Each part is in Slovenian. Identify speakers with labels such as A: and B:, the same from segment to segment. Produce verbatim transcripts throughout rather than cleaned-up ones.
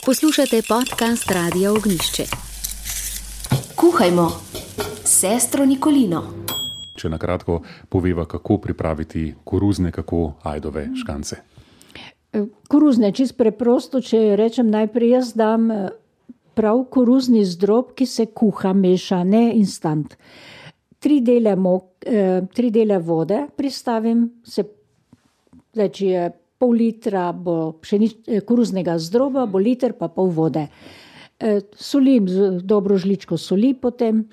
A: Poslušate podcast Radia Ognjišče.
B: Kuhajmo s sestro Nikolino.
C: Če na kratko poveva, kako pripraviti koruzne, kako ajdove žgance.
D: Koruzne, čisto preprosto, če rečem najprej, jaz dam prav koruzni zdrob, ki se kuha, meša, ne instant. Tri dele, mok, eh, tri dele vode pristavim, se, zdaj, če je pol litra bo pšenič, koruznega zdroba, bo liter pa pol vode. Eh, solim z dobro žličko soli, potem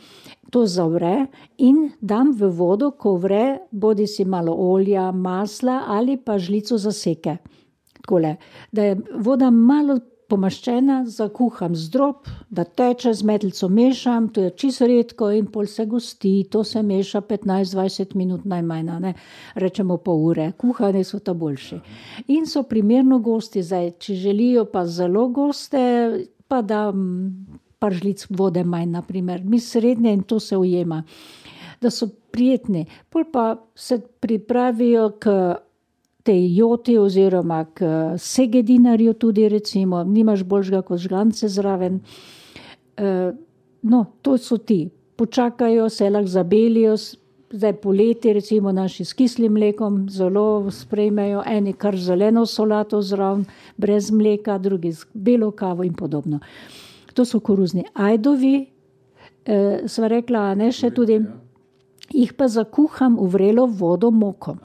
D: to zavre in dam v vodo, ko vre, bodi si malo olja, masla ali pa žlico zaseke. Takole, da je voda malo pomaščena, zakuham zdrob, da teče, z metlico mešam, to je čisto redko in pol se gosti, to se meša petnajst dvajset minut najmanj, ne, rečemo pol ure, kuhane so ta boljši. In so primerno gosti, zdaj, če želijo pa zelo goste, pa dam par žlic vode manj, naprimer, mi srednje in to se ujema, da so prijetni. Pol pa se pripravijo k tej joti oziroma k segedinarju tudi recimo, nimaš boljšega kot žgance zraven. E, no, to so ti. Počakajo, se lahko zabelijo, zdaj poleti recimo naši s kislim mlekom zelo sprejmejo, eni kar zeleno solato zraven, brez mleka, drugi z belo kavo in podobno. To so koruzni ajdovi, e, sva rekla, ne še tudi, jih pa zakuham v vrelo vodo moko.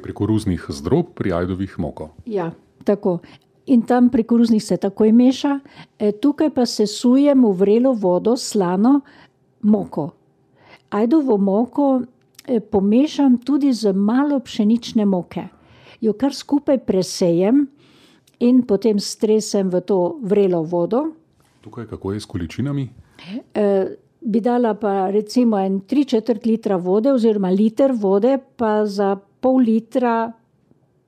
C: Pri koruznih zdrob, pri ajdovih moko.
D: Ja, tako. In tam pri koruznih se takoj meša. E, tukaj pa sesujem v vrelo vodo slano moko. Ajdovo moko e, pomešam tudi z malo pšenične moke. Jo kar skupaj presejem in potem stresem v to vrelo vodo.
C: Tukaj kako je s količinami?
D: E, bi dala pa recimo en tri četrt litra vode oziroma liter vode pa za pol litra,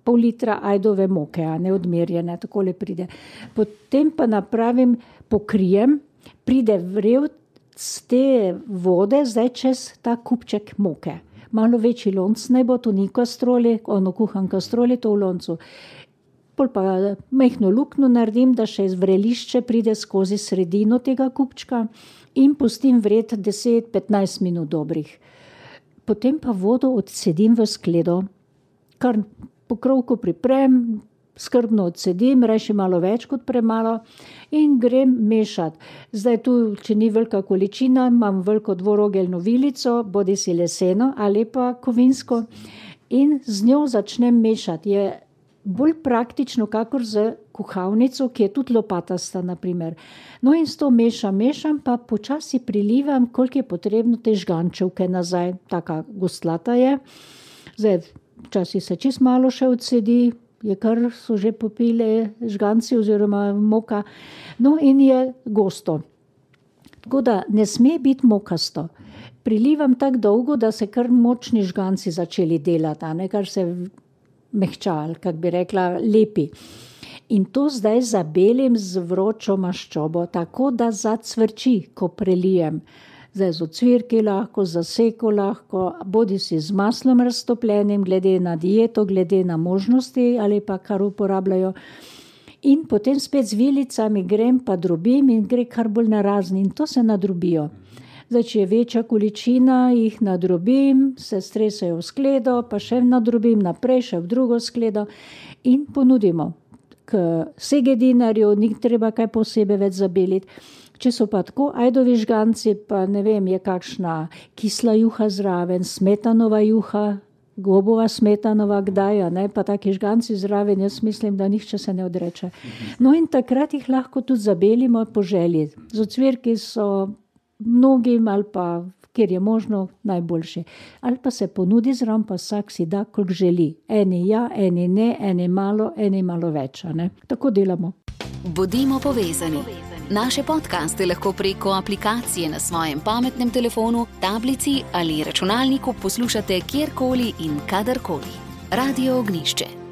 D: pol litra ajdove moke, a ne odmerjene, takole pride. Potem pa napravim, pokrijem, pride vrel z te vode, zdaj čez ta kupček moke. Malo večji lonc naj bo, to ni kastroli, ono kuham kastroli, to v loncu. Pol pa majhno luknjo naredim, da še vrelišče pride skozi sredino tega kupčka in pustim vret deset petnajst minut dobrih. Potem pa vodo odsedim v skledo, kar pokrovko priprem, skrbno odsedim, reši malo več kot premalo in grem mešati. Zdaj tu, če ni velika količina, imam veliko dvorogeljno vilico, bodi si leseno ali pa kovinsko in z njo začnem mešati. Je bolj praktično, kakor z kuhalnico, ki je tudi lopatasta, naprimer. No in s to mešam, mešam, pa počasi prilivam, koliko je potrebno te žgančevke nazaj. Taka gostlata je. Zdaj, včasih se čist malo še odsedi, je kar so že popile žganci oziroma moka. No in je gosto. Tako da ne sme biti mokasto. Prilivam tako dolgo, da se kar močni žganci začeli delati, ne, kar se mehčal, kak bi rekla, lepi. In to zdaj zabelim z vročo maščobo, tako da zacvrči, ko prelijem. Zdaj z ocvirki lahko, zaseko lahko, bodi si z maslom raztopljenim, glede na dieto, glede na možnosti ali pa kar uporabljajo. In potem spet z vilicami grem pa drobim in gre kar bolj narazni in to se nadrobijo. Zdaj, če je večja količina, jih nadrobim, se stresajo v skledo, pa še nadrobim naprej, še v drugo skledo in ponudimo. K segedinarju ni treba kaj posebej več zabeliti. Če so pa tako ajdovi žganci, pa ne vem, je kakšna kisla juha zraven, smetanova juha, gobova smetanova kdaj, ne, pa taki žganci zraven, jaz mislim, da nihče se ne odreče. No in takrat jih lahko tudi zabelimo po želji. Z ocvirki so mnogim ali pa, kjer je možno, najboljši. Ali pa se ponudi zraven, pa vsak si da, koliko želi. Eni ja, eni ne, eni malo, eni malo več, ne. Tako delamo.
A: Bodimo povezani. Naše podcaste lahko preko aplikacije na svojem pametnem telefonu, tablici ali računalniku poslušate kjerkoli in kadarkoli. Radio Ognjišče.